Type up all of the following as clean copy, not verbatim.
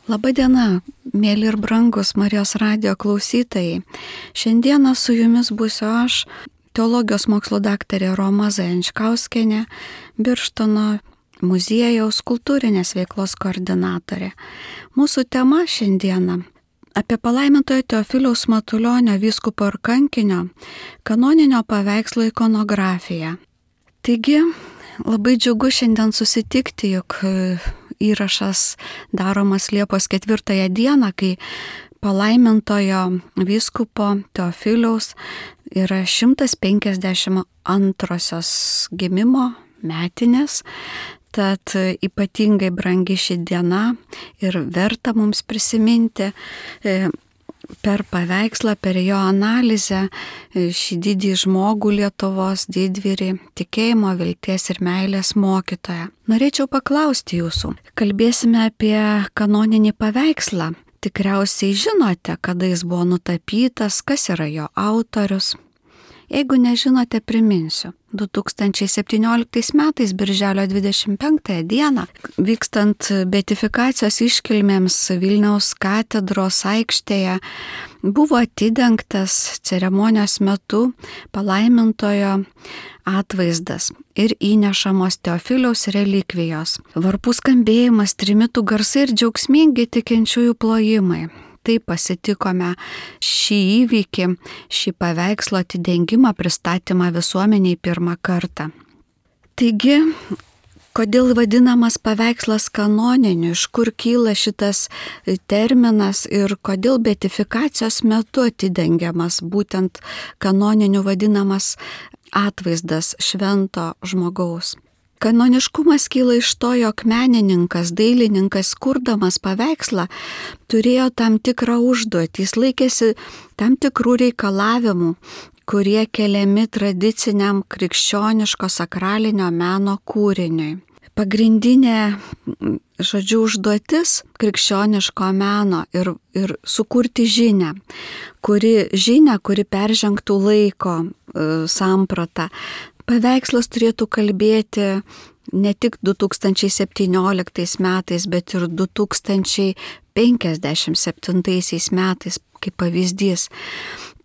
Labadiena, mėly ir brangus Marijos radijo klausytojai. Šiandieną su jumis būsiu aš, teologijos mokslo daktarė Roma Zajančkauskienė, Birštono muziejaus kultūrinės veiklos koordinatorė. Mūsų tema šiandieną apie palaimintojo Teofiliaus Matulionio vyskupo ir kankinio kanoninio paveikslo ikonografiją. Taigi, labai džiugu šiandien susitikti, juk įrašas daromas Liepos 4 dieną, kai palaimintojo vyskupo Teofiliaus yra 152 gimimo metinės, tad ypatingai brangi ši diena ir verta mums prisiminti per paveikslą, per jo analizę šį didį žmogų Lietuvos didvyrį, tikėjimo, vilties ir meilės mokytoją. Norėčiau paklausti jūsų. Kalbėsime apie kanoninį paveikslą. Tikriausiai žinote, kada jis buvo nutapytas, kas yra jo autorius. Jeigu nežinote, priminsiu. 2017 metais, birželio 25 dieną, vykstant beatifikacijos iškilmėms Vilniaus katedros aikštėje, buvo atidengtas ceremonijos metu palaimintojo atvaizdas ir įnešamos Teofiliaus relikvijos. Varpų skambėjimas, trimitų garsai ir džiaugsmingi tikinčiųjų plojimai. Taip pasitikome šį įvykį, šį paveikslo atidengimą, pristatymą visuomeniai pirmą kartą. Taigi, kodėl vadinamas paveikslas kanoniniu, iš kur kyla šitas terminas ir kodėl beatifikacijos metu atidengiamas būtent kanoniniu vadinamas atvaizdas švento žmogaus. Kanoniškumas kyla iš to, jog menininkas, dailininkas, kurdamas paveikslą, turėjo tam tikrą užduotį, jis laikėsi tam tikrų reikalavimų, kurie keliami tradiciniam krikščioniško sakralinio meno kūriniui. Pagrindinė, užduotis krikščioniško meno ir sukurti žinią, kuri peržengtų laiko sampratą. Paveikslas turėtų kalbėti ne tik 2017 metais, bet ir 2057 metais, kaip pavyzdys.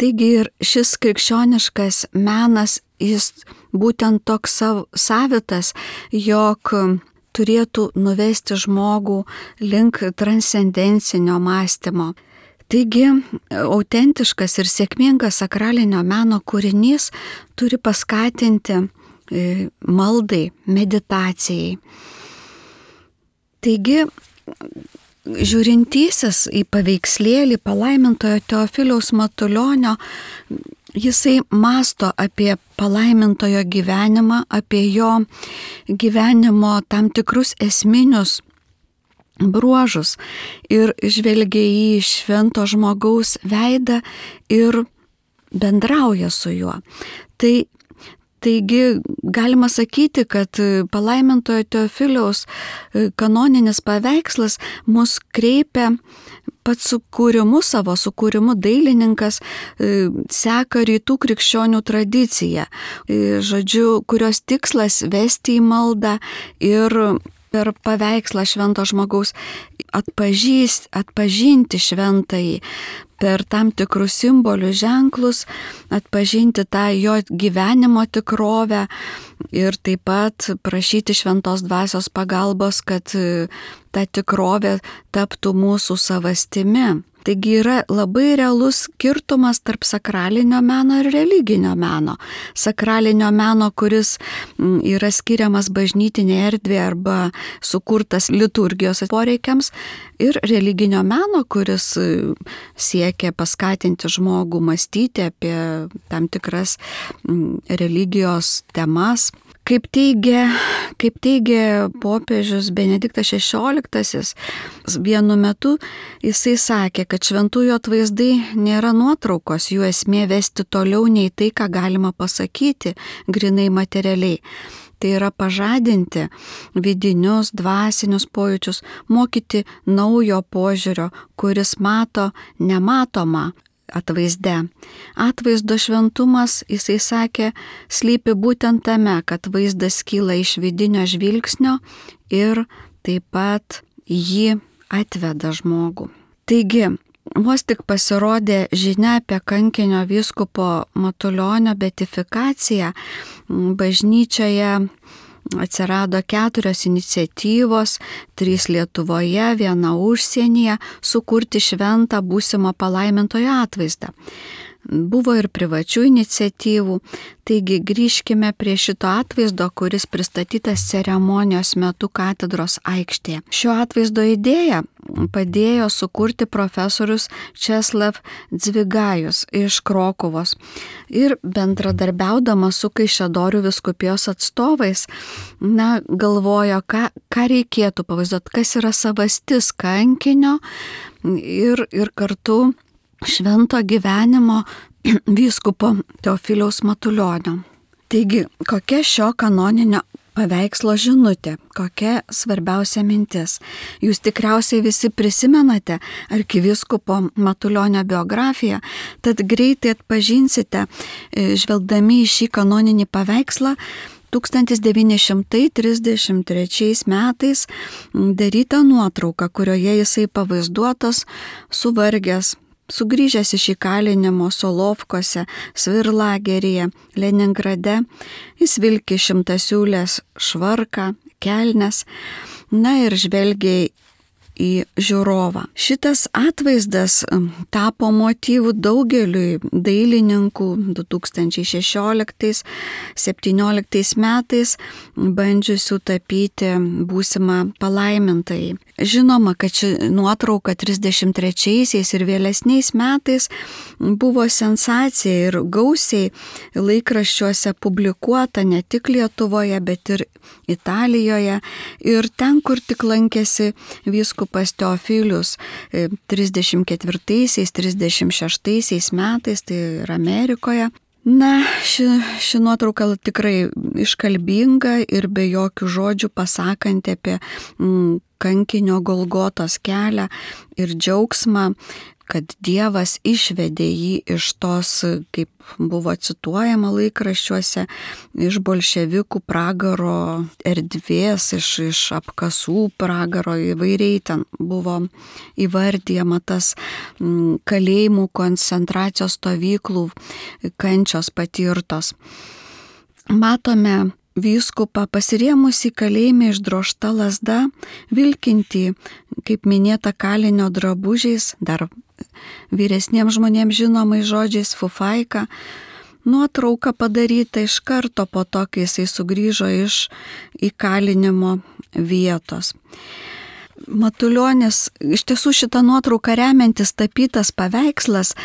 Taigi ir šis krikščioniškas menas, jis būtent toks savitas, jog turėtų nuvesti žmogų link transcendencinio mąstymo. Taigi, autentiškas ir sėkmingas sakralinio meno kūrinys turi paskatinti maldai, meditacijai. Taigi, žiūrintysis į paveikslėlį palaimintojo Teofiliaus Matulionio, jisai mąsto apie palaimintojo gyvenimą, apie jo gyvenimo tam tikrus esminius bruožus ir žvelgia į švento žmogaus veidą ir bendrauja su juo. Taigi galima sakyti, kad palaimintojo Teofiliaus kanoninis paveikslas mus kreipia pats savo sukūrimu dailininkas seka rytų krikščionių tradiciją, kurios tikslas vesti į maldą ir per paveikslą švento žmogaus atpažinti šventąjį, per tam tikrus simbolių ženklus, atpažinti tą jo gyvenimo tikrovę ir taip pat prašyti šventos dvasios pagalbos, kad ta tikrovė taptų mūsų savastimi. Taigi yra labai realus skirtumas tarp sakralinio meno ir religinio meno. Sakralinio meno, kuris yra skiriamas bažnytinėje erdvėje arba sukurtas liturgijos poreikiams, ir religinio meno, kuris siekia paskatinti žmogų mąstyti apie tam tikras religijos temas. Kaip teigia popiežius Benediktas XVI, vienu metu jisai sakė, kad šventųjų atvaizdai nėra nuotraukos, jų esmė vesti toliau nei tai, ką galima pasakyti grinai materialiai. Tai yra pažadinti vidinius, dvasinius pojūčius, mokyti naujo požiūrio, kuris mato nematomą atvaizde. Atvaizdo šventumas, jisai sakė, slypi būtent tame, kad vaizdas kyla iš vidinio žvilgsnio ir taip pat jį atveda žmogų. Taigi, vos tik pasirodė žinia apie kankinio vyskupo Matulionio beatifikaciją, bažnyčioje atsirado 4 iniciatyvos, 3 Lietuvoje, 1 užsienyje, sukurti šventą būsimo palaimintojo atvaizdą. Buvo ir privačių iniciatyvų, taigi grįžkime prie šito atvaizdo, kuris pristatytas ceremonijos metu katedros aikštėje. Šio atvaizdo idėją padėjo sukurti profesorius Česlav Dzvigajus iš Krokuvos ir bendradarbiaudamas su Kaišiadorių vyskupijos atstovais, galvojo, ką reikėtų pavaizduoti, kas yra savastis kankinio ir kartu švento gyvenimo vyskupo Teofiliaus Matulionio. Taigi, kokia šio kanoninio paveikslo žinutė, kokia svarbiausia mintis? Jūs tikriausiai visi prisimenate arkivyskupo Matulionio biografiją, tad greitai atpažinsite, žvelgdami į šį kanoninį paveikslą, 1933 metais darytą nuotrauką, kurioje jisai pavaizduotas suvargęs, sugrįžęs iš įkalinimo Solovkose, Svirlageryje, Leningrade, jis vilki 100-siūlės švarką, kelnes, ir žvelgia į žiūrovą. Šitas atvaizdas tapo motyvų daugeliui dailininkų 2016-2017 metais bandžiusių tapyti būsimą palaimintąjį. Žinoma, kad ši nuotrauka 33-aisiais ir vėlesniais metais buvo sensacija ir gausiai laikraščiuose publikuota ne tik Lietuvoje, bet ir Italijoje ir ten, kur tik lankėsi vyskupas Teofilius 34-36 metais, tai ir Amerikoje. Ši nuotrauka tikrai iškalbinga ir be jokių žodžių pasakanti apie kankinio Golgotos kelią ir džiaugsmą, kad Dievas išvedė jį iš tos, kaip buvo cituojama laikraščiuose, iš bolševikų pragaro erdvės, iš apkasų pragaro, įvairiai ten buvo įvardyjama tas kalėjimų, koncentracijos stovyklų kančios patirtos. Matome vyskupą pasirėmusį kalėjime išdrožta lazda, vilkintį, kaip minėta, kalinio drabužiais, dar vyresniems žmonėms žinomais žodžiais fufaika. Nuotrauka padaryta iš karto po to, kai jisai sugrįžo iš įkalinimo vietos. Matulionis, iš tiesų šitą nuotrauką remiantis tapytas paveikslas,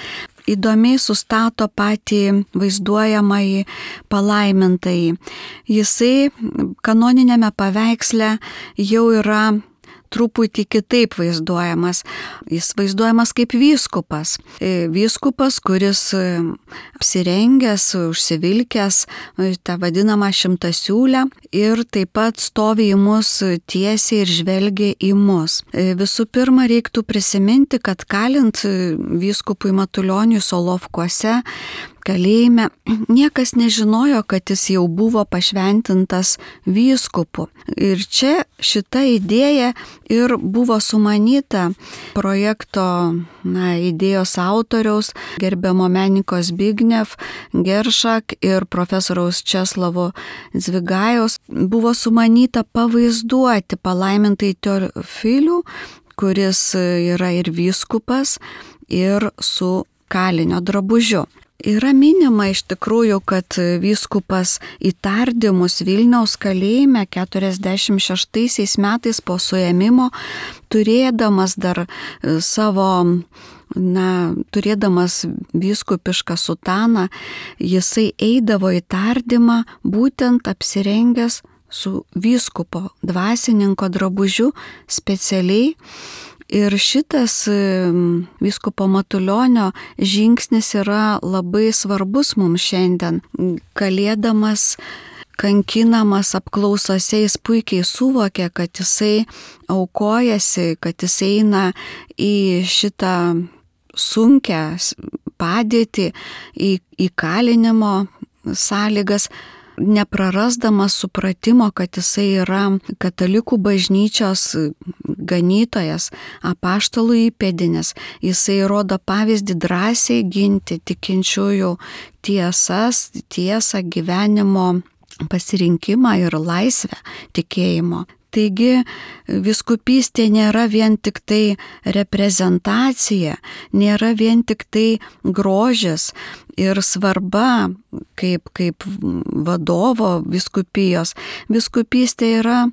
įdomiai sustato patį vaizduojamąjį palaimintąjį. Jisai kanoninėme paveiksle jau yra truputį kitaip vaizduojamas. Jis vaizduojamas kaip vyskupas. Vyskupas, kuris apsirengęs, užsivilkęs tą vadinamą 100-siūlę ir taip pat stovi į mus tiesiai ir žvelgia į mus. Visų pirma, reiktų prisiminti, kad kalint vyskupui Matulioniui Solovkuose kalėjime, niekas nežinojo, kad jis jau buvo pašventintas vyskupu. Ir čia šita idėja ir buvo sumanyta projekto idėjos autoriaus, gerbiamo menininko Zbigniew Geršak ir profesoriaus Česlavo Dzvigajaus. Buvo sumanyta pavaizduoti palaimintąjį Teofilių, kuris yra ir vyskupas, ir su kalinio drabužiu. Yra minima iš tikrųjų, kad vyskupas į tardymus Vilniaus kalėjime 46 metais po suėmimo, turėdamas dar turėdamas vyskupišką sutaną, jisai eidavo į tardymą būtent apsirengęs su vyskupo dvasininko drabužiu specialiai. Ir šitas vyskupo Matulionio žingsnis yra labai svarbus mums šiandien. Kalėdamas, kankinamas apklausose, jis puikiai suvokė, kad jisai aukojasi, kad jisai eina į šitą sunkią padėtį, į kalinimo sąlygas neprarasdamas supratimo, kad jisai yra katalikų bažnyčios ganytojas, apaštalų įpėdinis, jisai rodo pavyzdį drąsiai ginti tikinčiųjų tiesą, gyvenimo pasirinkimą ir laisvę tikėjimo. Taigi vyskupystė nėra vien tik tai reprezentacija, nėra vien tik tai grožis ir svarba kaip vadovo vyskupijos. Vyskupystė yra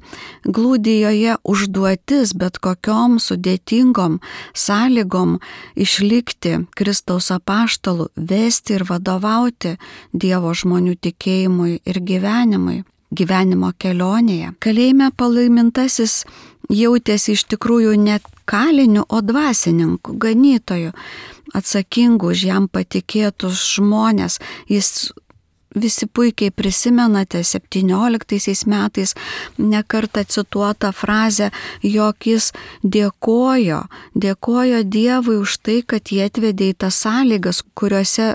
glūdi joje užduotis bet kokiom sudėtingom sąlygom išlikti Kristaus apaštalų, vesti ir vadovauti Dievo žmonių tikėjimui ir gyvenimo kelionėje. Kalėjime palaimintasis jautėsi iš tikrųjų ne kaliniu, o dvasininku, ganytoju, atsakingu už jam patikėtus žmonės. Jis visi puikiai prisimenate 17 metais nekartą cituotą frazę, jog jis dėkojo Dievui už tai, kad jie atvedė į tas sąlygas, kuriuose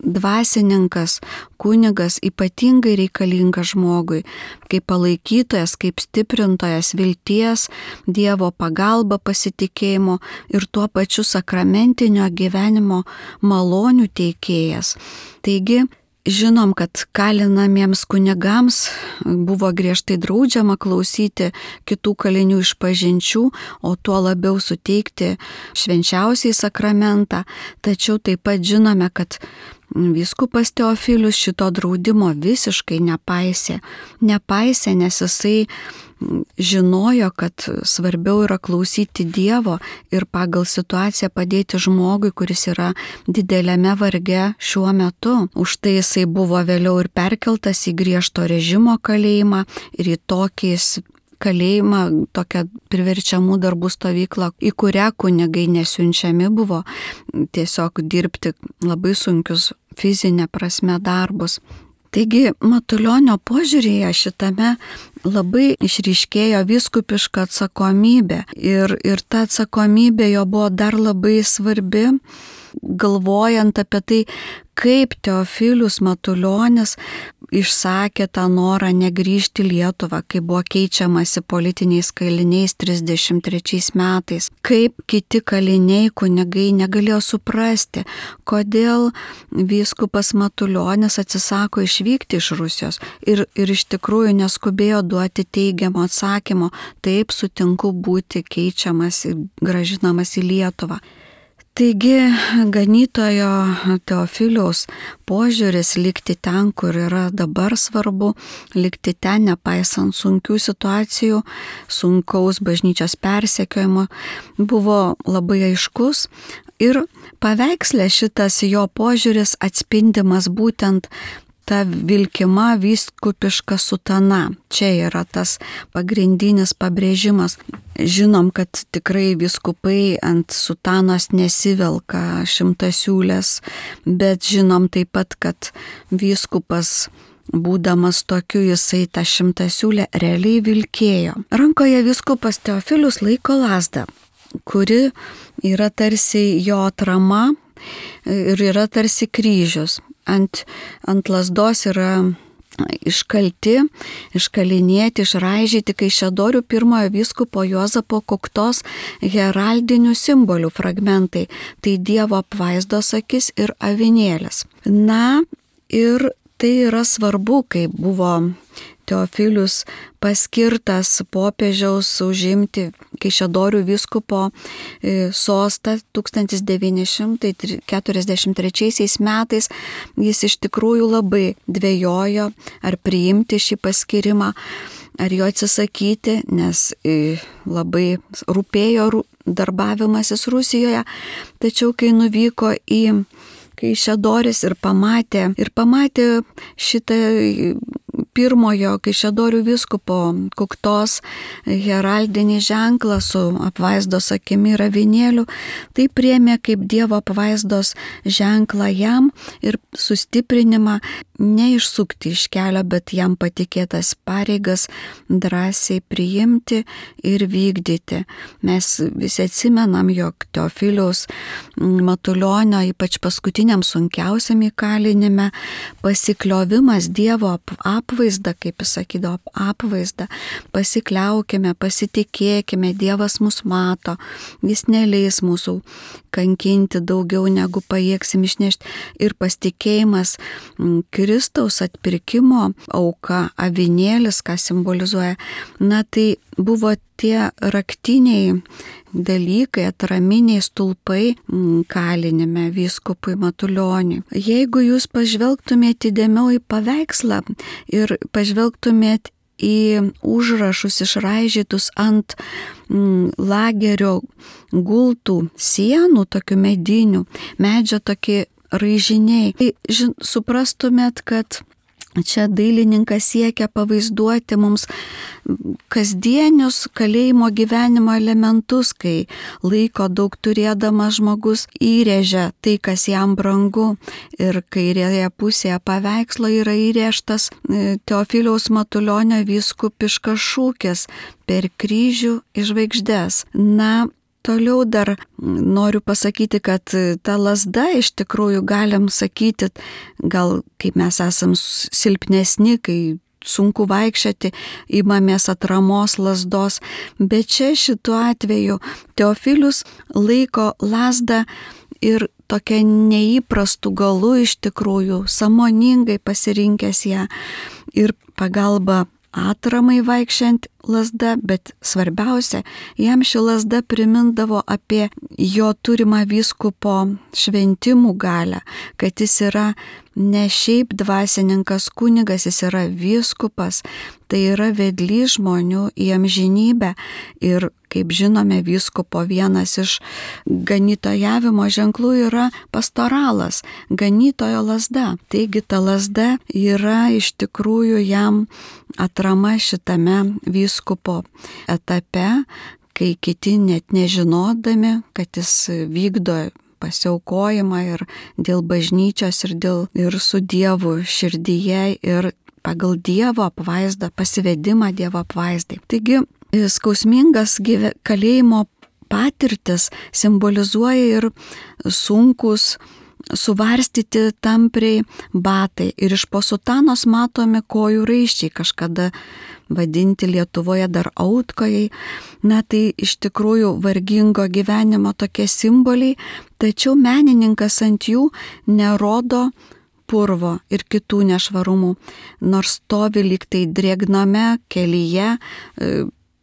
dvasininkas, kunigas ypatingai reikalingas žmogui, kaip palaikytojas, kaip stiprintojas vilties, Dievo pagalba, pasitikėjimo ir tuo pačiu sakramentinio gyvenimo malonių teikėjas. Taigi, žinom, kad kalinamiems kunigams buvo griežtai draudžiama klausyti kitų kalinių išpažinčių, o tuo labiau suteikti švenčiausiai sakramentą. Tačiau taip pat žinome, kad vyskupas Teofilius šito draudimo visiškai nepaisė, nes jisai žinojo, kad svarbiau yra klausyti Dievo ir pagal situaciją padėti žmogui, kuris yra dideliame varge šiuo metu. Už tai jisai buvo vėliau ir perkeltas į griežto režimo kalėjimą ir į tokį kalėjimą, tokią priverčiamų darbų stovyklą, į kurią kunigai nesiunčiami buvo tiesiog dirbti labai sunkius fizinė prasme darbus. Taigi Matulionio požiūrėje šitame labai išryškėjo vyskupiška atsakomybė ir ta atsakomybė jo buvo dar labai svarbi, galvojant apie tai, kaip Teofilius Matulionis išsakė tą norą negrįžti į Lietuvą, kai buvo keičiamasi politiniais kaliniais 33 metais. Kaip kiti kaliniai, kunigai negalėjo suprasti, kodėl vyskupas Matulionis atsisako išvykti iš Rusijos ir iš tikrųjų neskubėjo duoti teigiamo atsakymo, taip sutinku būti keičiamas ir gražinamas į Lietuvą. Taigi ganytojo Teofiliaus požiūris likti ten, kur yra dabar svarbu, likti ten nepaisant sunkių situacijų, sunkaus bažnyčios persekiojimo, buvo labai aiškus ir paveiksle šitas jo požiūris atspindimas būtent ta vilkima vyskupiška sutana. Čia yra tas pagrindinis pabrėžimas. Žinom, kad tikrai vyskupai ant sutanos nesivelka šimtasiūlės, bet žinom taip pat, kad vyskupas, būdamas tokiu, jisai tą šimtasiūlę realiai vilkėjo. Rankoje vyskupas Teofilius laiko lazdą, kuri yra tarsi jo atrama ir yra tarsi kryžius. Ant lazdos yra iškalinėti, išraižyti Kaišiadorių pirmojo vyskupo Juozapo Kuktos heraldinių simbolių fragmentai. Tai Dievo apvaizdos akis ir avinėlis. Na ir tai yra svarbu, kai buvo Teofilius paskirtas popiežiaus užimti Kaišiadorių vyskupo sostą 1943 metais. Jis iš tikrųjų labai dvejojo, ar priimti šį paskyrimą, ar jo atsisakyti, nes labai rūpėjo darbavimasis Rusijoje. Tačiau kai nuvyko į Kaišiadoris ir pamatė šitą pirmojo Kaišiadorių vyskupo Kuktos heraldinį ženklą su apvaizdos akimi ir avinėliu, tai priėmė kaip Dievo apvaizdos ženklą jam ir sustiprinimą neišsukti iš kelio, bet jam patikėtas pareigas drąsiai priimti ir vykdyti. Mes visi atsimenam, jog Teofiliaus Matulionio, ypač paskutiniam sunkiausiam įkalinime, pasikliovimas Dievo apvaizdą, kaip jis sakydavo, apvaizdą, pasikliaukime, pasitikėkime, Dievas mus mato, jis neleis mūsų kankinti daugiau negu pajėgsim išnešti, ir pasitikėjimas Kristaus atpirkimo auka, avinėlis, ką simbolizuoja, tai buvo tie raktiniai dalykai, atraminiai stulpai kalinime vyskupui Matulioniui. Jeigu jūs pažvelgtumėte įdėmiau į paveikslą ir pažvelgtumėte į užrašus išraižytus ant lagerio gultų sienų, tokių medinių, medžio tokie raižiniai, tai suprastumėt, kad čia dailininkas siekia pavaizduoti mums kasdienius kalėjimo gyvenimo elementus, kai laiko daug turėdamas žmogus įrėžia tai, kas jam brangu, ir kairėje pusėje paveikslo yra įrėžtas Teofiliaus Matulionio vyskupiškas šūkis per kryžių į žvaigždes. Toliau dar noriu pasakyti, kad ta lazda iš tikrųjų galim sakyti, gal kaip mes esam silpnesni, kai sunku vaikščioti, imamės atramos lazdos, bet čia šituo atveju Teofilius laiko lazdą ir tokia neįprastų galų iš tikrųjų, sąmoningai pasirinkęs ją ir pagalba atramai vaikščiant lazda, bet svarbiausia, jam ši lazda primindavo apie jo turimą vyskupo šventimų galią, kad jis yra ne šiaip dvasininkas kunigas, jis yra vyskupas, tai yra vedlys žmonių į amžinybę. Ir kaip žinome, vyskupo vienas iš ganytojavimo ženklų yra pastoralas, ganytojo lazda. Taigi ta lazda yra iš tikrųjų jam atrama šitame vyskupo etape, kai kiti net nežinodami, kad jis vykdo pasiaukojimą ir dėl bažnyčios, ir su Dievu širdyje, ir pagal Dievo apvaizdą, pasivedimą Dievo apvaizdai. Taigi, skausmingas kalėjimo patirtis simbolizuoja ir sunkus suvarstyti tampriai batai. Ir iš po sutanos matomi kojų raiščiai, kažkada vadinti Lietuvoje dar autkojai. Tai iš tikrųjų vargingo gyvenimo tokie simboliai, tačiau menininkas ant jų nerodo purvo ir kitų nešvarumų, nors stovi lyg tai drėgname kelyje,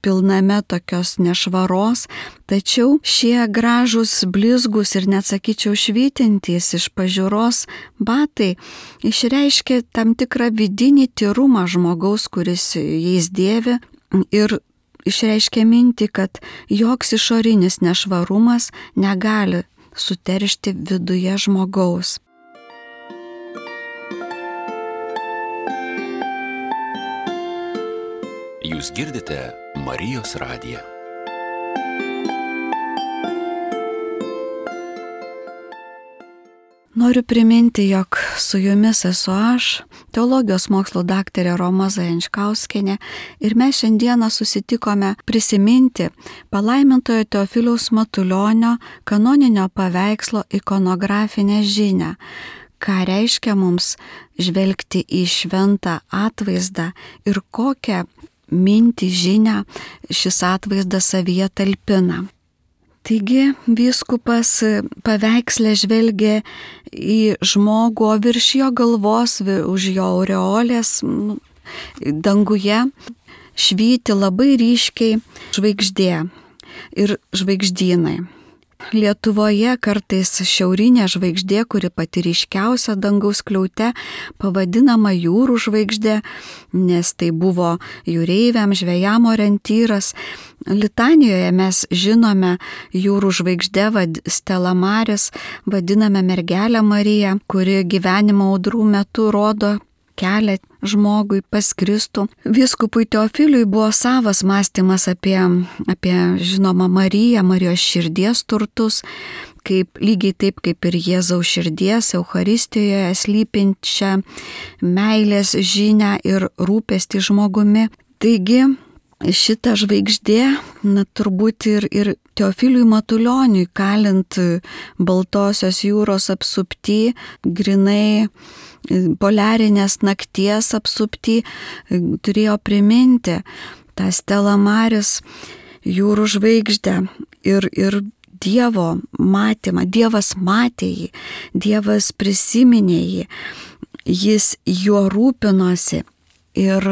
pilname tokios nešvaros, tačiau šie gražūs, blizgus ir net sakyčiau švytintys iš pažiūros batai išreiškia tam tikrą vidinį tyrumą žmogaus, kuris jais dėvi, ir išreiškia mintį, kad joks išorinis nešvarumas negali suteršti viduje žmogaus. Jūs girdite Marijos radiją. Noriu priminti, jog su jumis esu aš, teologijos mokslo daktarė Roma Zajančkauskienė, ir mes šiandieną susitikome prisiminti palaimintojo Teofiliaus Matulionio kanoninio paveikslo ikonografinę žinią, ką reiškia mums žvelgti į šventą atvaizdą ir kokią mintį, žinią šis atvaizdas savyje talpina. Taigi vyskupas paveiksle žvelgia į žmogų, o virš jo galvos, už jo aureolės danguje švyti labai ryškiai žvaigždė ir žvaigždynai. Lietuvoje kartais šiaurinė žvaigždė, kuri pati ryškiausia dangaus skliaute, pavadinama jūrų žvaigždė, nes tai buvo jūreiviam, žvejam orientyras. Litanijoje mes žinome jūrų žvaigždę Stella Maris, vadiname mergelę Mariją, kuri gyvenimo audrų metu rodo kelią žmogui pas Kristų. Vyskupui Teofiliui buvo savas mąstymas apie žinoma Mariją, Marijos širdies turtus. lygiai taip kaip ir Jėzaus širdies Eucharistijoje slypinčią meilės žinią ir rūpestį žmogumi. Taigi šita žvaigždė, turbūt ir Teofiliui Matulioniui, kalint Baltosios jūros apsupty, grinai poliarinės nakties apsupty, turėjo priminti tą Stella Maris jūrų žvaigždę ir Dievo matymą. Dievas matė jį, Dievas prisiminė jį, jis juo rūpinosi. Ir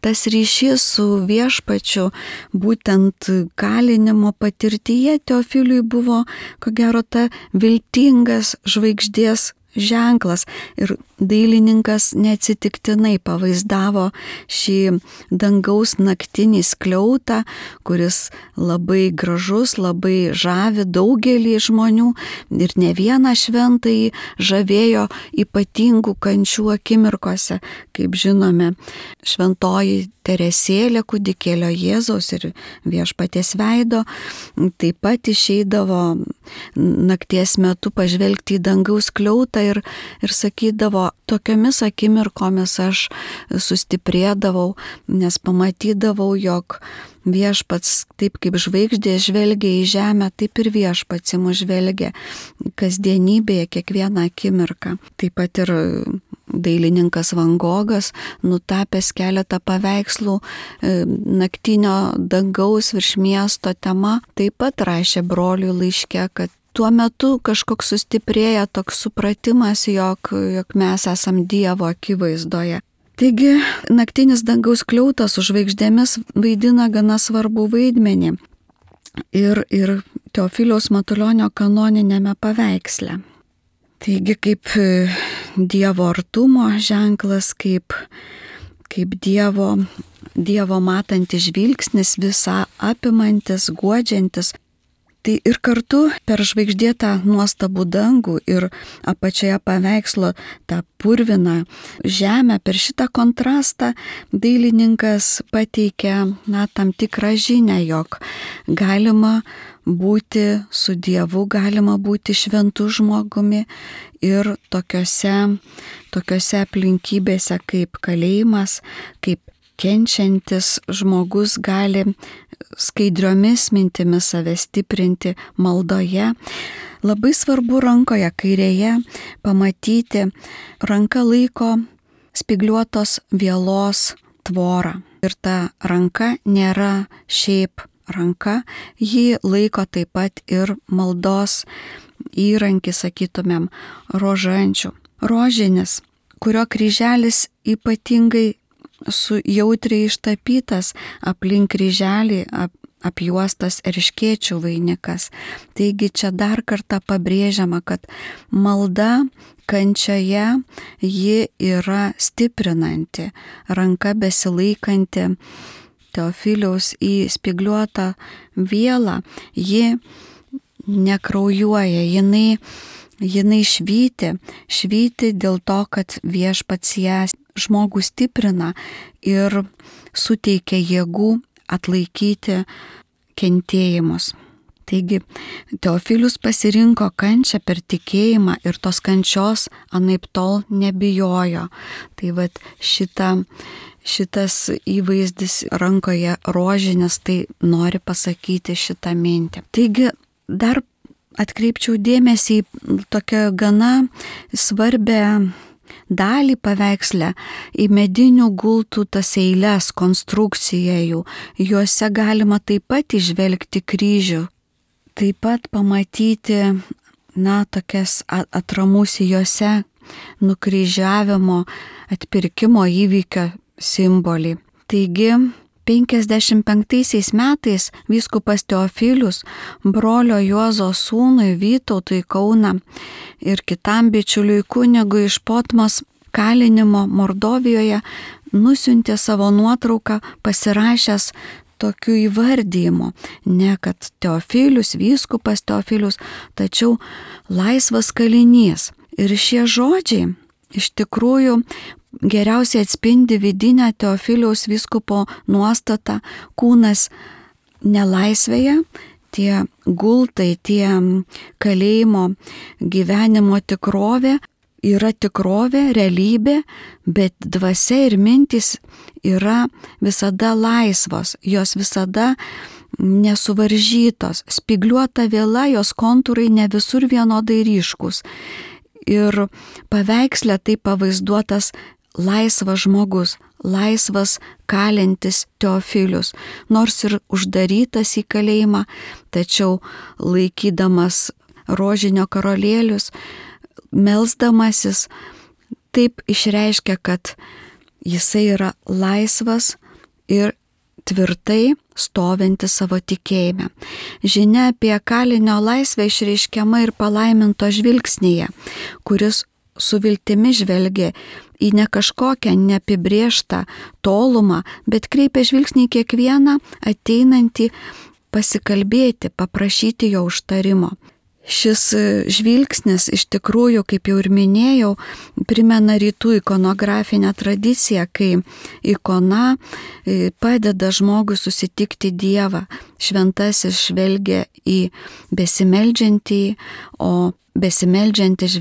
tas ryšys su viešpačiu būtent kalinimo patirtyje Teofiliui buvo, ko gero, ta viltingas žvaigždės ženklas. Ir dailininkas neatsitiktinai pavaizdavo šį dangaus naktinį skliautą, kuris labai gražus, labai žavi daugelį žmonių ir ne vieną šventąjį žavėjo ypatingų kančių akimirkose. Kaip žinome, šventoji Teresėlė kūdikėlio Jėzaus ir Viešpaties veido taip pat išeidavo nakties metu pažvelgti į dangaus skliautą ir sakydavo, tokiomis akimirkomis aš sustiprėdavau, nes pamatydavau, jog viešpats taip kaip žvaigždė žvelgia į žemę, taip ir viešpats į mus žvelgia kasdienybėje kiekvieną akimirką. Taip pat ir dailininkas Van Gogas, nutapęs keletą paveikslų naktinio dangaus virš miesto tema, taip pat rašė broliui laiške, kad tuo metu kažkoks sustiprėja toks supratimas, jog mes esam Dievo akivaizdoje. Taigi, naktinis dangaus skliautas su žvaigždėmis vaidina gana svarbų vaidmenį ir Teofiliaus Matulionio kanoninėme paveiksle. Taigi, kaip Dievo artumo ženklas, kaip Dievo matantis žvilgsnis, visą apimantis, guodžiantis. Tai ir kartu per žvaigždėtą nuostabų dangų ir apačioje paveikslo tą purviną žemę, per šitą kontrastą dailininkas pateikia tam tikrą žinią, jog galima būti su Dievu, galima būti šventu žmogumi ir tokiose aplinkybėse kaip kalėjimas, kaip kenčiantis žmogus gali skaidriomis mintimis save stiprinti maldoje. Labai svarbu rankoje kairėje pamatyti, ranka laiko spygliuotos vielos tvorą. Ir ta ranka nėra šiaip ranka, ji laiko taip pat ir maldos įrankį, sakytumėm, rožančių. Rožinis, kurio kryželis ypatingai jautriai ištapytas, aplink kryželį apjuostas erškėčių vainikas. Taigi čia dar kartą pabrėžiama, kad malda kančioje ji yra stiprinanti, ranka besilaikanti Teofiliaus į spygliuotą vielą, ji nekraujuoja, jinai švyti dėl to, kad viešpats ją žmogų stiprina ir suteikia jėgų atlaikyti kentėjimus. Taigi Teofilius pasirinko kančią per tikėjimą ir tos kančios anaiptol nebijojo. Tai vat šitas įvaizdis rankoje rožinis, tai nori pasakyti šitą mintį. Taigi dar atkreipčiau dėmesį į tokią gana svarbią dalį paveiksle, į medinių gultų tas eiles, konstrukciją jų. Juose galima taip pat įžvelgti kryžių. Taip pat pamatyti, tokias atramus juose nukryžiavimo, atpirkimo įvykio simbolį. Taigi, 55 metais vyskupas Teofilius brolio Juozo sūnui Vytautui Kauną ir kitam bičiuliui kunigui iš Potmos kalinimo Mordovijoje nusiuntė savo nuotrauką pasirašęs tokiu įvardymu, ne kad Teofilius, vyskupas Teofilius, tačiau laisvas kalinys. Ir šie žodžiai iš tikrųjų geriausiai atspindi vidinę Teofiliaus vyskupo nuostatą: kūnas nelaisvėje, tie gultai, tie kalėjimo gyvenimo tikrovė yra tikrovė, realybė, bet dvasia ir mintys yra visada laisvos, jos visada nesuvaržytos, spygliuota viela, jos kontūrai ne visur vienodai ryškus. Ir paveiksle tai pavaizduotas laisvas žmogus, laisvas kalintis Teofilius, nors ir uždarytas į kalėjimą, tačiau laikydamas rožinio karolėlius, melsdamasis, taip išreiškia, kad jisai yra laisvas ir tvirtai stovinti savo tikėjime. Žinia apie kalinio laisvę išreiškiama ir palaiminto žvilgsnyje, kuris su viltimi žvelgia į ne kažkokią neapibrėžtą tolumą, bet kreipia žvilgsnį į kiekvieną ateinantį pasikalbėti, paprašyti jo užtarimo. Šis žvilgsnis iš tikrųjų, kaip jau ir minėjau, primena rytų ikonografinę tradiciją, kai ikona padeda žmogui susitikti Dievą. Šventasis žvelgia į besimeldžiantį, o besimeldžiantį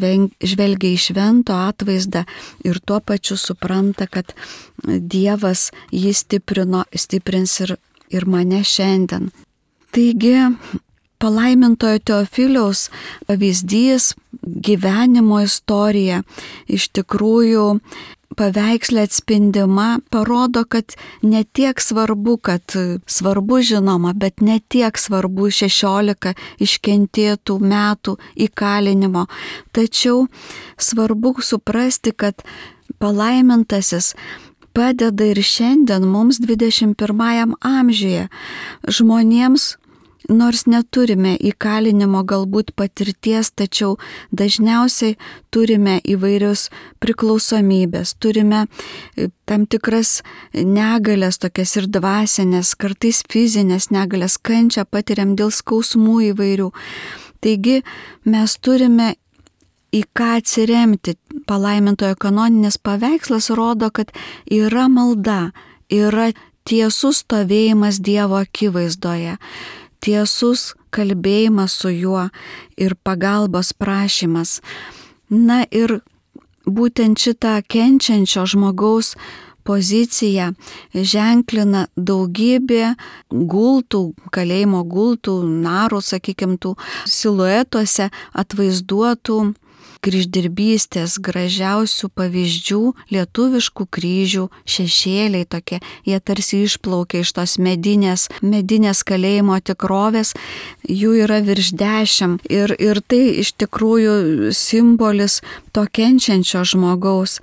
žvelgia į švento atvaizdą ir tuo pačiu supranta, kad Dievas jį stiprins ir mane šiandien. Taigi, palaimintojo Teofiliaus pavyzdys, gyvenimo istorija iš tikrųjų paveiksle atspindima, parodo, kad ne tiek svarbu, kad svarbu žinoma, bet ne tiek svarbu 16 iškentėtų metų įkalinimo. Tačiau svarbu suprasti, kad palaimintasis padeda ir šiandien mums 21 amžiuje žmonėms, nors neturime įkalinimo galbūt patirties, tačiau dažniausiai turime įvairius priklausomybės, turime tam tikras negalės, tokias ir dvasinės, kartais fizinės negalės, kančią patiriam dėl skausmų įvairių. Taigi mes turime į ką atsiremti. Palaimintojo kanoninis paveikslas rodo, kad yra malda, yra tiesus stovėjimas Dievo akivaizdoje, tiesus kalbėjimas su juo ir pagalbos prašymas. Na ir būtent šitą kenčiančio žmogaus poziciją ženklina daugybė gultų, kalėjimo gultų, narų, sakykime, tų siluetuose atvaizduotų kryždirbystės gražiausių pavyzdžių, lietuviškų kryžių, šešėliai tokie, jie tarsi išplaukia iš tos medinės kalėjimo tikrovės, jų yra virš 10 ir tai iš tikrųjų simbolis to kenčiančio žmogaus,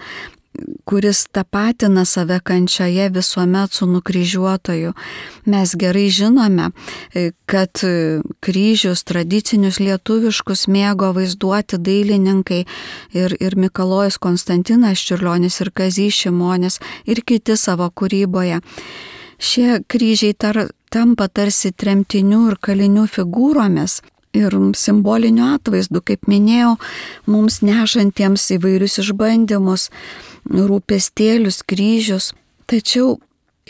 kuris tapatina save kančioje visuomet su nukryžiuotoju. Mes gerai žinome, kad kryžius tradicinius lietuviškus mėgo vaizduoti dailininkai ir Mikalojus Konstantinas Čiurlionis ir Kazys Šimonis ir kiti savo kūryboje. Šie kryžiai tampa tarsi tremtinių ir kalinių figūromis ir simboliniu atvaizdu, kaip minėjau, mums nešantiems įvairius išbandymus, rūpestėlius, kryžius. Tačiau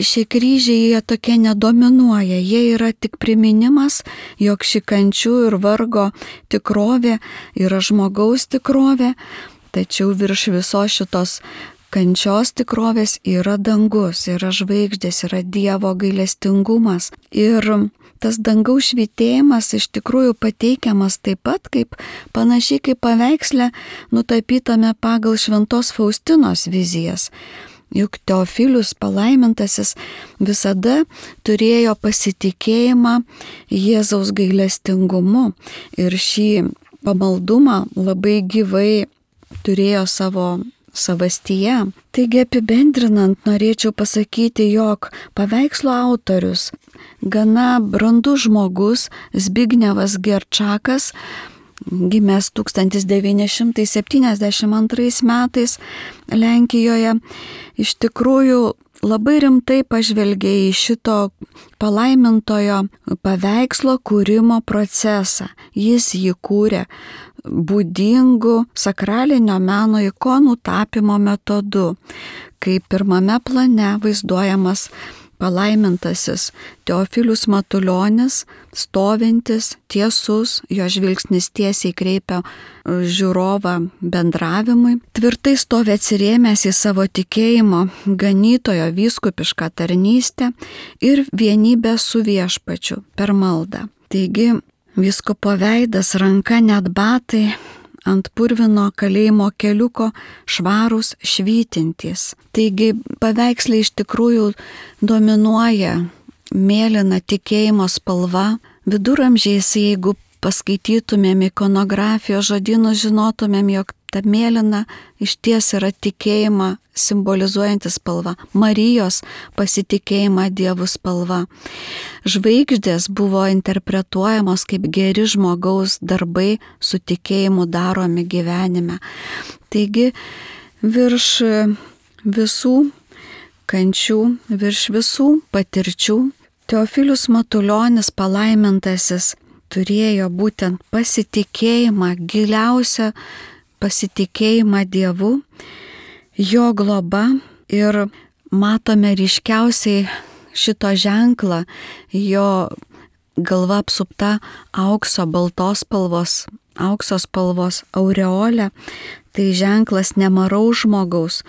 šie kryžiai jie tokie nedominuoja, jie yra tik priminimas, jog ši kančių ir vargo tikrovė yra žmogaus tikrovė, tačiau virš visos šitos kančios tikrovės yra dangus, yra žvaigždės, yra Dievo gailestingumas. Ir tas dangaus švytėjimas iš tikrųjų pateikiamas taip pat kaip panašiai kaip paveiksle nutapytame pagal Šventos Faustinos vizijas. Juk Teofilius palaimintasis visada turėjo pasitikėjimą Jėzaus gailestingumu ir šį pamaldumą labai gyvai turėjo savo savastyje. Taigi apibendrinant norėčiau pasakyti, jog paveikslo autorius, gana brandus žmogus Zbignevas Gerčakas, gimęs 1972 metais Lenkijoje, iš tikrųjų labai rimtai pažvelgė į šito palaimintojo paveikslo kūrimo procesą. Jis jį kūrė būdingų sakralinio meno ikonų tapymo metodu, kai pirmame plane vaizduojamas palaimintasis Teofilius Matulionis, stovintis, tiesus, jo žvilgsnis tiesiai kreipia žiūrovą bendravimui, tvirtai stovi atsirėmęs į savo tikėjimo ganytojo vyskupišką tarnystę ir vienybę su viešpačiu per maldą. Taigi, vyskupo veidas, ranka, net batai ant purvino kalėjimo keliuko švarūs, švytintys. Taigi paveiksle iš tikrųjų dominuoja mėlyna tikėjimo spalva. Viduramžiais, jeigu paskaitytumėm ikonografijos žodynus, žinotumėm, jog ta mėlyna išties yra tikėjimą simbolizuojanti spalva, Marijos pasitikėjimą Dievu spalva. Žvaigždės buvo interpretuojamos kaip geri žmogaus darbai su tikėjimu daromi gyvenime. Taigi virš visų kančių, virš visų patirčių Teofilius Matulionis, palaimintasis, turėjo būtent pasitikėjimą, giliausią pasitikėjimą Dievu, jo globa, ir matome ryškiausiai šito ženklą, jo galva apsupta aukso spalvos aureolė. Tai ženklas nemaraus žmogaus,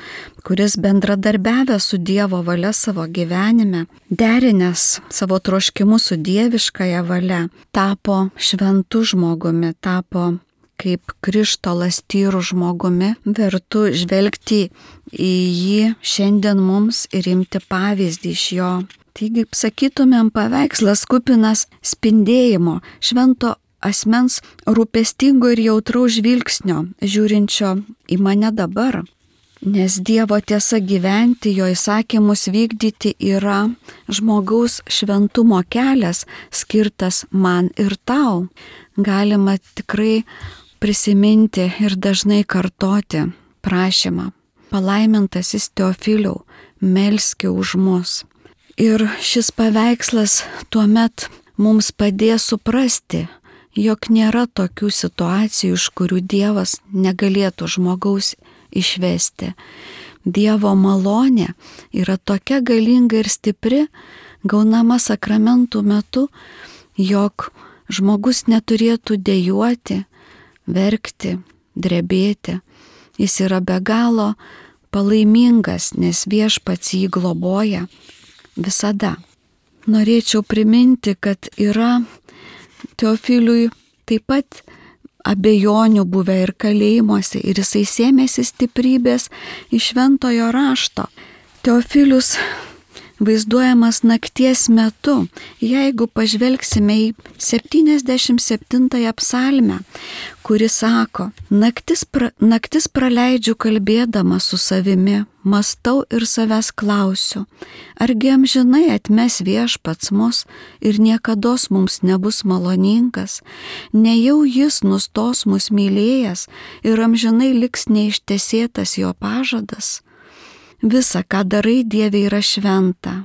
kuris bendradarbiavęs su Dievo valia savo gyvenime, derinęs savo troškimus su dieviškąja valia, tapo šventu žmogumi, tapo kaip krištolas tyru žmogumi, vertu žvelgti į jį šiandien mums ir imti pavyzdį iš jo. Taigi, sakytumėm, paveikslas kupinas spindėjimo, švento asmens rūpestingo ir jautraus žvilgsnio, žiūrinčio į mane dabar. Nes Dievo tiesa gyventi, jo įsakymus vykdyti yra žmogaus šventumo kelias, skirtas man ir tau. Galima tikrai prisiminti ir dažnai kartoti prašymą: palaimintasis Teofiliau, melski už mus. Ir šis paveikslas tuomet mums padės suprasti, jog nėra tokių situacijų, iš kurių Dievas negalėtų žmogaus išvesti. Dievo malonė yra tokia galinga ir stipri, gaunama sakramentų metu, jog žmogus neturėtų dejuoti, verkti, drebėti. Jis yra be galo palaimingas, nes Viešpats jį globoja visada. Norėčiau priminti, kad yra Teofiliui taip pat abejonių buvę ir kalėjimuose, ir jisai sėmėsi stiprybės iš šventojo rašto. Teofilius vaizduojamas nakties metu. Jeigu pažvelgsime į 77 psalmę, kuri sako: naktis praleidžiu kalbėdama su savimi, mąstau ir savęs klausiu, argi amžinai atmes Viešpats mus ir niekados mums nebus maloningas, nejau jis nustos mus mylėjęs ir amžinai liks neištesėtas jo pažadas. Visa, ką darai, Dieve, yra šventa.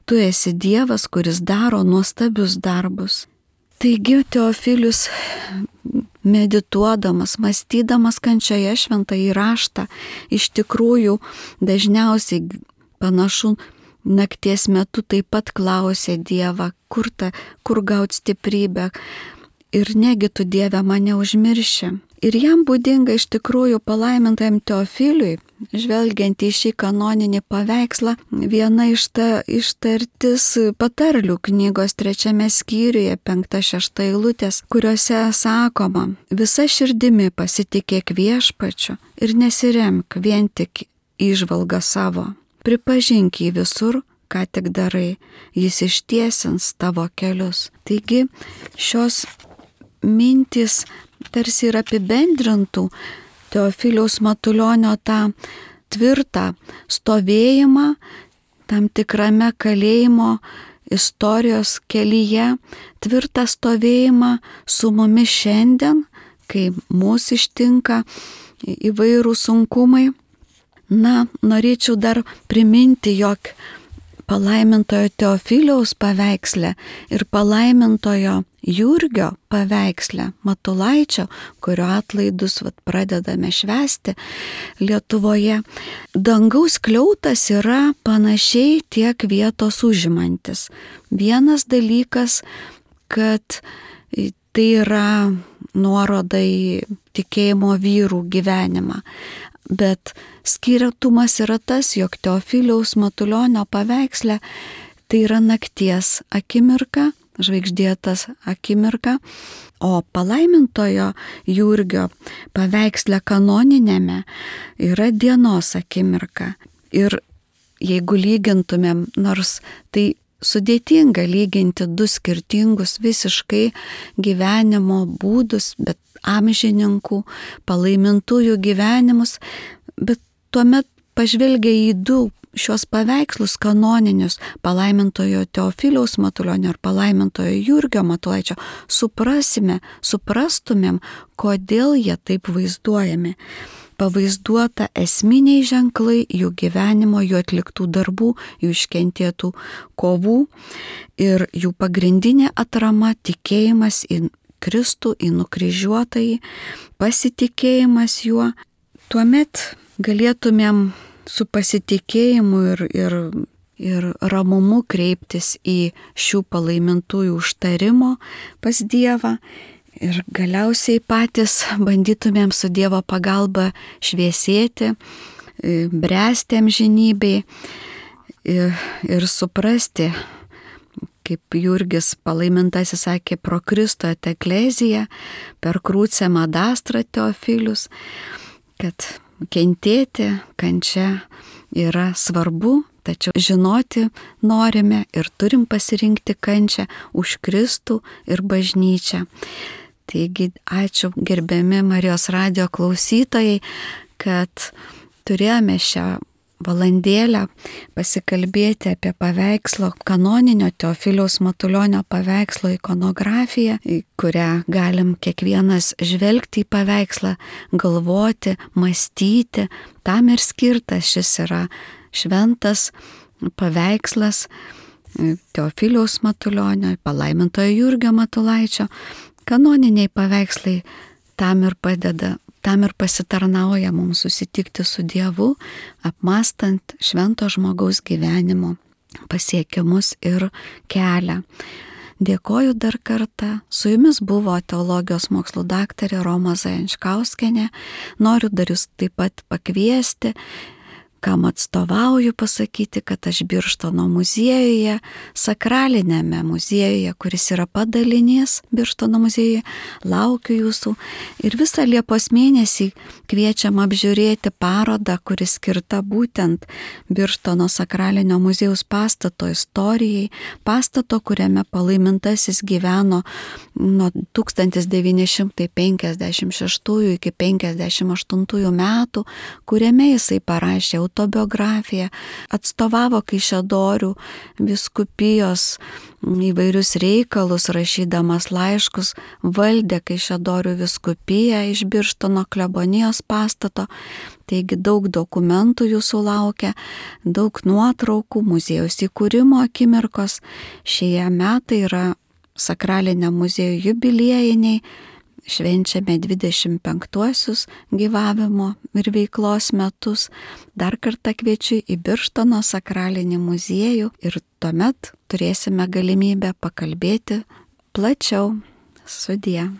Tu esi Dievas, kuris daro nuostabius darbus. Taigi Teofilius, medituodamas, mąstydamas kančioje šventąjį raštą, iš tikrųjų dažniausiai panašu nakties metu taip pat klausė Dievą, kur gauti stiprybę, ir negi tu, Dieve, mane užmirši. Ir jam būdinga iš tikrųjų palaimintajam Teofiliui, žvelgiant į šį kanoninį paveikslą, viena ištartis patarlių knygos 3 skyriuje 5-6 eilutės, kuriuose sakoma: visa širdimi pasitikėk Viešpačiu ir nesiremk vien tik įžvalgą savo. Pripažink jį visur, ką tik darai, jis ištiesins tavo kelius. Taigi šios mintys tarsi ir apibendrintų Teofiliaus Matulionio tą tvirtą stovėjimą tam tikrame kalėjimo istorijos kelyje, tvirtą stovėjimą su mumis šiandien, kai mūsų ištinka įvairūs sunkumai. Na, norėčiau dar priminti, jog palaimintojo Teofiliaus paveiksle ir palaimintojo Jurgio paveiksle Matulaičio, kurio atlaidus pradedame švęsti Lietuvoje, dangaus skliautas yra panašiai tiek vietos užimantis. Vienas dalykas, kad tai yra nuoroda į tikėjimo vyrų gyvenimą. Bet skirtumas yra tas, jog Teofiliaus Matulionio paveiksle tai yra nakties akimirka, žvaigždėtas akimirka, o palaimintojo Jurgio paveiksle kanoninėme yra dienos akimirka. Ir jeigu lygintumėm, nors tai sudėtinga lyginti du skirtingus visiškai gyvenimo būdus, bet amžininkų, palaimintųjų gyvenimus, bet tuomet pažvelgia į du šios paveikslus kanoninius palaimintojo Teofiliaus Matulionio ir palaimintojo Jurgio Matulaičio, suprastumėm, kodėl jie taip vaizduojami. Pavaizduota esminiai ženklai jų gyvenimo, jų atliktų darbų, jų iškentėtų kovų ir jų pagrindinė atrama tikėjimas į Kristų, į nukryžiuotąjį, pasitikėjimas juo. Tuomet galėtumėm su pasitikėjimu ir ramumu kreiptis į šių palaimintųjų užtarimo pas Dievą ir galiausiai patys bandytumėm su Dievo pagalba šviesėti, bręsti amžinybei ir suprasti, kaip Jurgis palaimintasis sakė, pro Kristų et eklezija, per crucem ad astra Teofilius, kad kentėti, kančia yra svarbu, tačiau žinoti norime ir turim pasirinkti kančią už Kristų ir bažnyčią. Taigi ačiū gerbiami Marijos radijo klausytojai, kad turėjome šią valandėlę pasikalbėti apie paveikslo, kanoninio Teofiliaus Matulionio paveikslo ikonografiją, į kurią galim kiekvienas žvelgti į paveikslą, galvoti, mąstyti. Tam ir skirtas šis yra šventas paveikslas Teofiliaus Matulionio, palaimintojo Jurgio Matulaičio. Kanoniniai paveikslai tam ir padeda, tam ir pasitarnauja mums susitikti su Dievu, apmąstant švento žmogaus gyvenimo pasiekimus ir kelią. Dėkoju dar kartą. Su jumis buvo teologijos mokslų daktarė Roma Zajančkauskienė. Noriu dar jūs taip pat pakviesti, kam atstovauju, pasakyti, kad aš Birštono muziejuje, sakralinėme muziejuje, kuris yra padalinys Birštono muziejuje, laukiu jūsų ir visą Liepos mėnesį kviečiam apžiūrėti parodą, kuri skirta būtent Birštono sakralinio muziejaus pastato istorijai, pastato, kuriame palaimintasis gyveno nuo 1956 iki 1958 metų, kuriame jisai parašė autobiografiją, atstovavo Kaišiadorių vyskupijos įvairius reikalus, rašydamas laiškus, valdė Kaišiadorių vyskupiją iš Birštono klebonijos pastato. Taigi daug dokumentų jūsų laukia, daug nuotraukų, muziejaus įkūrimo akimirkos. Šie metai yra sakraliniam muziejui jubiliejiniai. Švenčiame 25-uosius gyvavimo ir veiklos metus. Dar kartą kviečiu į Birštono sakralinį muziejų ir tuomet turėsime galimybę pakalbėti plačiau. Sudie.